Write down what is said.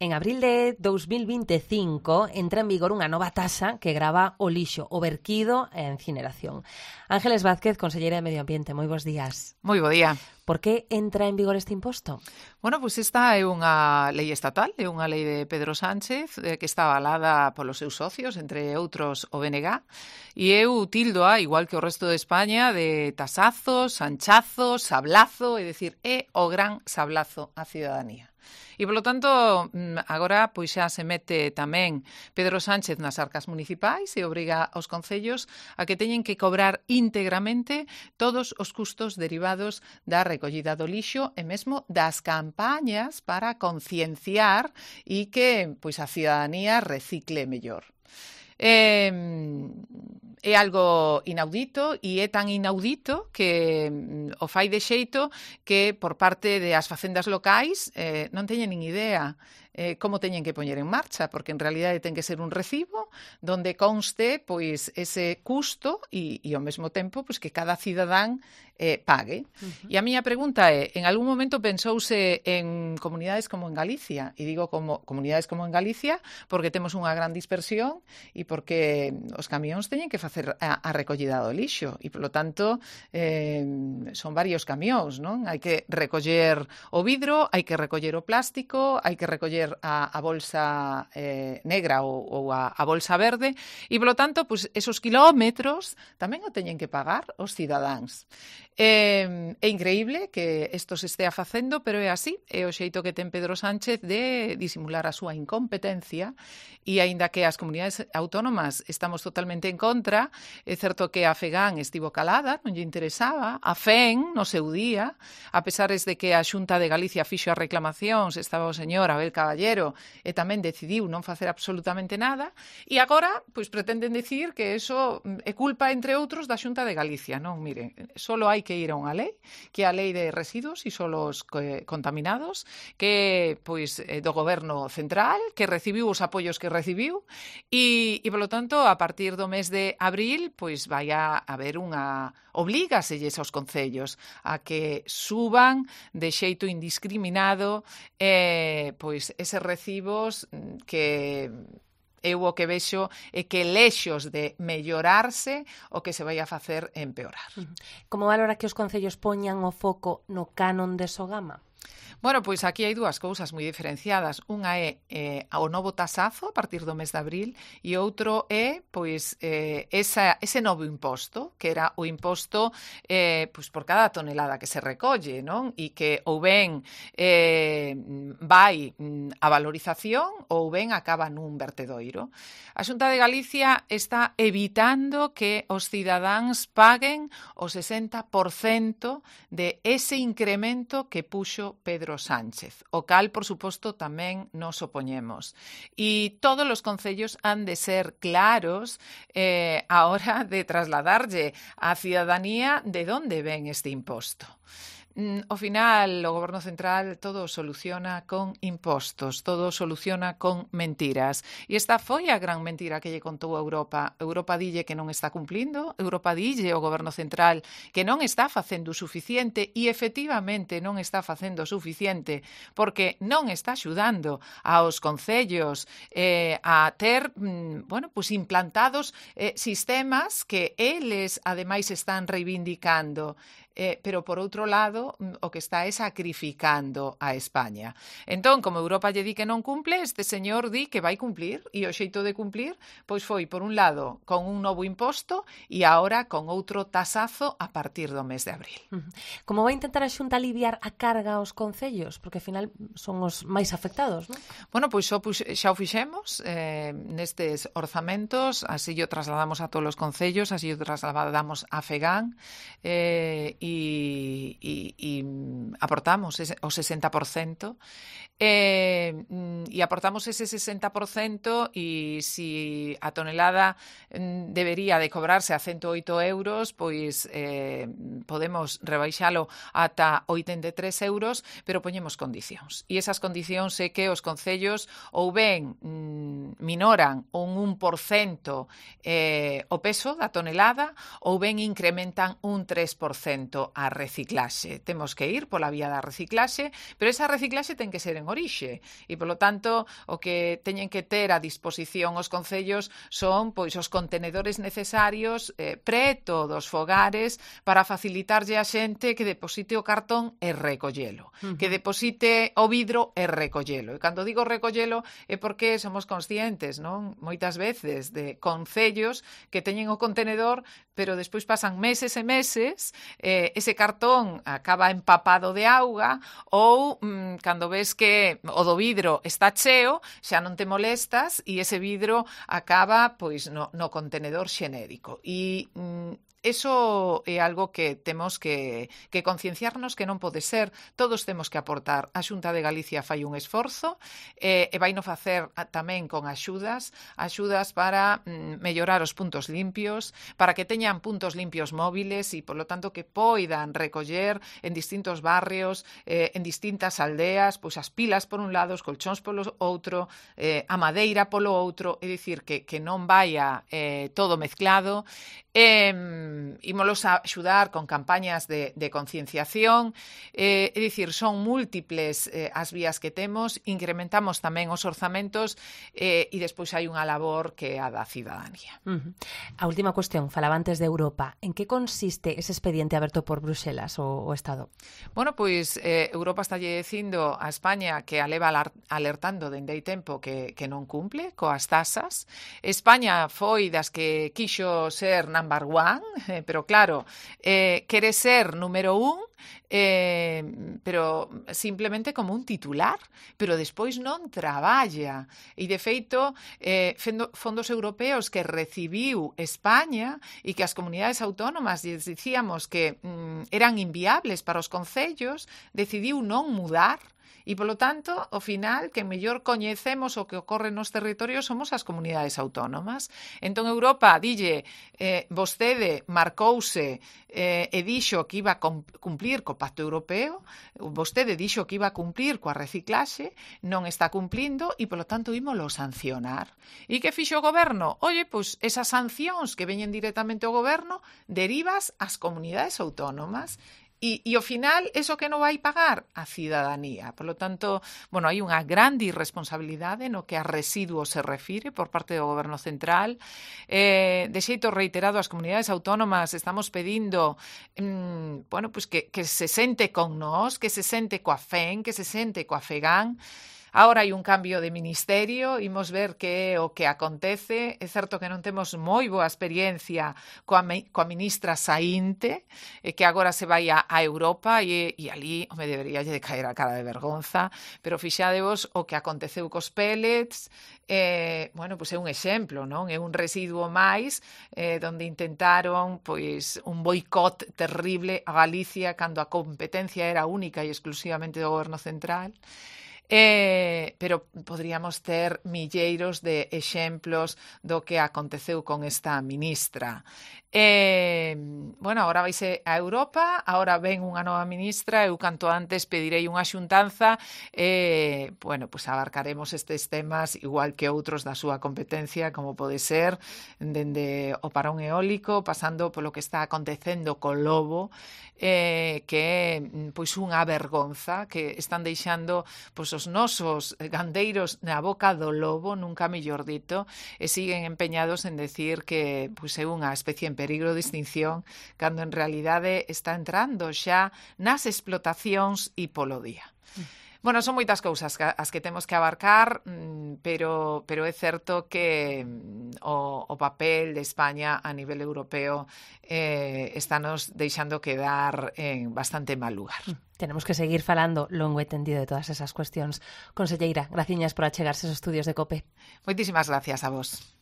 En abril de 2025 entra en vigor unha nova taxa que grava o lixo, o verquido e a incineración. Ángeles Vázquez, conselleira de Medio Ambiente, moi bons días. Moi bo día. Por que entra en vigor este imposto? Bueno, pois esta é unha lei estatal, é unha lei de Pedro Sánchez que está avalada polos seus socios, entre outros o BNG, e eu tildoa, igual que o resto de España, de tasazos, sanchazos, sablazo, é dicir, é o gran sablazo á ciudadanía. E, polo tanto, agora pois xa se mete tamén Pedro Sánchez nas arcas municipais e obriga aos concellos a que teñen que cobrar íntegramente todos os custos derivados da recollida do lixo e mesmo das campañas para concienciar e que pois a ciudadanía recicle mellor. É algo inaudito e é tan inaudito que o fai de xeito que por parte das facendas locais non teñen nin idea como teñen que poñer en marcha, porque en realidade ten que ser un recibo donde conste pois ese custo e ao mesmo tempo pois que cada cidadán pague. E a miña pregunta é, en algún momento pensouse en comunidades como en Galicia, e digo como comunidades como en Galicia porque temos unha gran dispersión e porque os camións teñen que facer a recollida do lixo e, polo tanto, son varios camións, non? Hai que recoller o vidro, hai que recoller o plástico, hai que recoller a bolsa negra ou a bolsa verde e, polo tanto, pues, esos kilómetros tamén o teñen que pagar os cidadáns. É increíble que isto se estea facendo, pero é así, é o xeito que ten Pedro Sánchez de disimular a súa incompetencia e, aínda que as comunidades autónomas estamos totalmente en contra, é certo que a FEGAN estivo calada, non lle interesaba, a FEN no seu día, a pesar de que a Xunta de Galicia fixo as reclamacións, estaba o señor Abel Caballero e tamén decidiu non facer absolutamente nada, e agora pois pretenden decir que eso é culpa, entre outros, da Xunta de Galicia. Non, mire, solo hai que ir a unha lei, que é a lei de residuos e solos contaminados, que pois do goberno central, que recibiu os apoios que recibiu, e polo tanto, a partir do mes de abril, pois vai a haber unha oblígaselles aos concellos a que suban de xeito indiscriminado pois eses recibos que eu o que vexo é que lexos de mellorarse o que se vai a facer empeorar. Como valora que os concellos poñan o foco no canon de Sogama? Bueno, pois aquí hai dúas cousas moi diferenciadas. Unha é o novo tasazo a partir do mes de abril e outro é pois ese novo imposto, que era o imposto pois por cada tonelada que se recolle, non? E que ou ben vai a valorización ou ben acaba nun vertedoiro. A Xunta de Galicia está evitando que os cidadáns paguen o 60% de ese incremento que puxo Pedro Sánchez, o cal, por suposto, tamén nos opoñemos. E todos os concellos han de ser claros a hora de trasladarlle á cidadanía de onde ven este imposto. Ao final, o Goberno Central todo soluciona con impostos, todo soluciona con mentiras. E esta foi a gran mentira que lle contou a Europa. Europa dille que non está cumplindo, Europa dille ao Goberno Central que non está facendo o suficiente e, efectivamente, non está facendo o suficiente porque non está axudando aos concellos a ter, pues implantados sistemas que eles, ademais, están reivindicando. Pero, por outro lado, o que está é sacrificando a España. Entón, como Europa lle di que non cumple, este señor di que vai cumplir, e o xeito de cumplir pois foi, por un lado, con un novo imposto e agora con outro tasazo a partir do mes de abril. Como vai intentar a Xunta aliviar a carga aos concellos? Porque, ao final, son os máis afectados, non? Bueno, pois xa o fixemos nestes orzamentos, así o trasladamos a todos os concellos, así o trasladamos a FEGAN, e aportamos o 60% e aportamos ese 60% e si a tonelada debería de cobrarse a 108 euros, pois podemos rebaixalo ata 83 euros, pero poñemos condicións. E esas condicións é que os concellos ou ben minoran un 1% o peso da tonelada ou ben incrementan un 3% a reciclaxe. Temos que ir pola vía da reciclaxe, pero esa reciclaxe ten que ser en orixe e, polo tanto, tanto, o que teñen que ter a disposición os concellos son pois os contenedores necesarios preto dos fogares para facilitarlle a xente que deposite o cartón e recollelo, que deposite o vidro e recollelo. E cando digo recollelo é porque somos conscientes, non? Moitas veces de concellos que teñen o contenedor, pero despois pasan meses e meses, ese cartón acaba empapado de auga ou cando ves que o do vidro está cheo, xa non te molestas e ese vidro acaba pois no contenedor xenérico. E eso é algo que temos que concienciarnos que non pode ser. Todos temos que aportar. A Xunta de Galicia fai un esforzo e vai no facer tamén con axudas para mellorar os puntos limpios, para que teñan puntos limpios móviles e, polo tanto, que poidan recoller en distintos barrios, en distintas aldeas, pois as pilas por un lado, os colchóns polo outro, a madeira polo outro, é dicir, que non vaya todo mezclado. Ímolos a axudar con campañas de concienciación, é dicir, son múltiples as vías que temos, incrementamos tamén os orzamentos e despois hai unha labor que é a da cidadanía. A última cuestión, falaba antes de Europa. En que consiste ese expediente aberto por Bruxelas o Estado? Bueno, pois Europa está dicindo a España que a leva alertando dende hai tempo que non cumple coas tasas. España foi das que quixo ser number one, pero claro, quere ser número un, pero simplemente como un titular, pero despois non traballa. E, de feito, fondos europeos que recibiu España e que as comunidades autónomas lles dicíamos que eran inviables para os concellos, decidiu non mudar. E, polo tanto, ao final, que mellor coñecemos o que ocorre nos territorios somos as comunidades autónomas. Entón, Europa dille, vostede marcouse e dixo que iba a cumplir co Pacto Europeo, vostede dixo que iba a cumplir coa reciclaxe, non está cumplindo e, polo tanto, ímolo sancionar. E que fixo o goberno? Oye, pois esas sancións que veñen directamente ao goberno derivas ás comunidades autónomas. E ao final, eso que non vai pagar? A cidadanía. Por lo tanto, bueno, hai unha grande irresponsabilidade no que a residuos se refire por parte do Goberno Central. De xeito reiterado, as comunidades autónomas estamos pedindo bueno, pues que se sente con nós, que se sente coa FEN, que se sente coa FEGAN. Agora hai un cambio de ministerio, imos ver que é o que acontece. É certo que non temos moi boa experiencia coa ministra saínte, que agora se vai a Europa e ali me debería de caer a cara de vergonza, pero fixadevos o que aconteceu cos pellets, bueno, pois é un exemplo, non? É un residuo máis donde intentaron pois un boicot terrible a Galicia cando a competencia era única e exclusivamente do Goberno Central. Pero poderíamos ter milleiros de exemplos do que aconteceu con esta ministra. Bueno, agora vaise a Europa, agora ven unha nova ministra, eu canto antes pedirei unha xuntanza, bueno, pues abarcaremos estes temas igual que outros da súa competencia, como pode ser dende o parón eólico, pasando polo que está acontecendo co lobo, que é pois unha vergonza que están deixando pois os nosos gandeiros na boca do lobo, nunca mellor dito, e siguen empeñados en decir que pois é unha especie en peligro de extinción, cando en realidade está entrando xa nas explotacións e polo día. Bueno, son moitas cousas as que temos que abarcar, pero é certo que o papel de España a nivel europeo estános deixando quedar en bastante mal lugar. Tenemos que seguir falando longo e tendido de todas esas cuestións. Conselleira, graciñas por achegarse aos estudios de COPE. Moitísimas gracias a vos.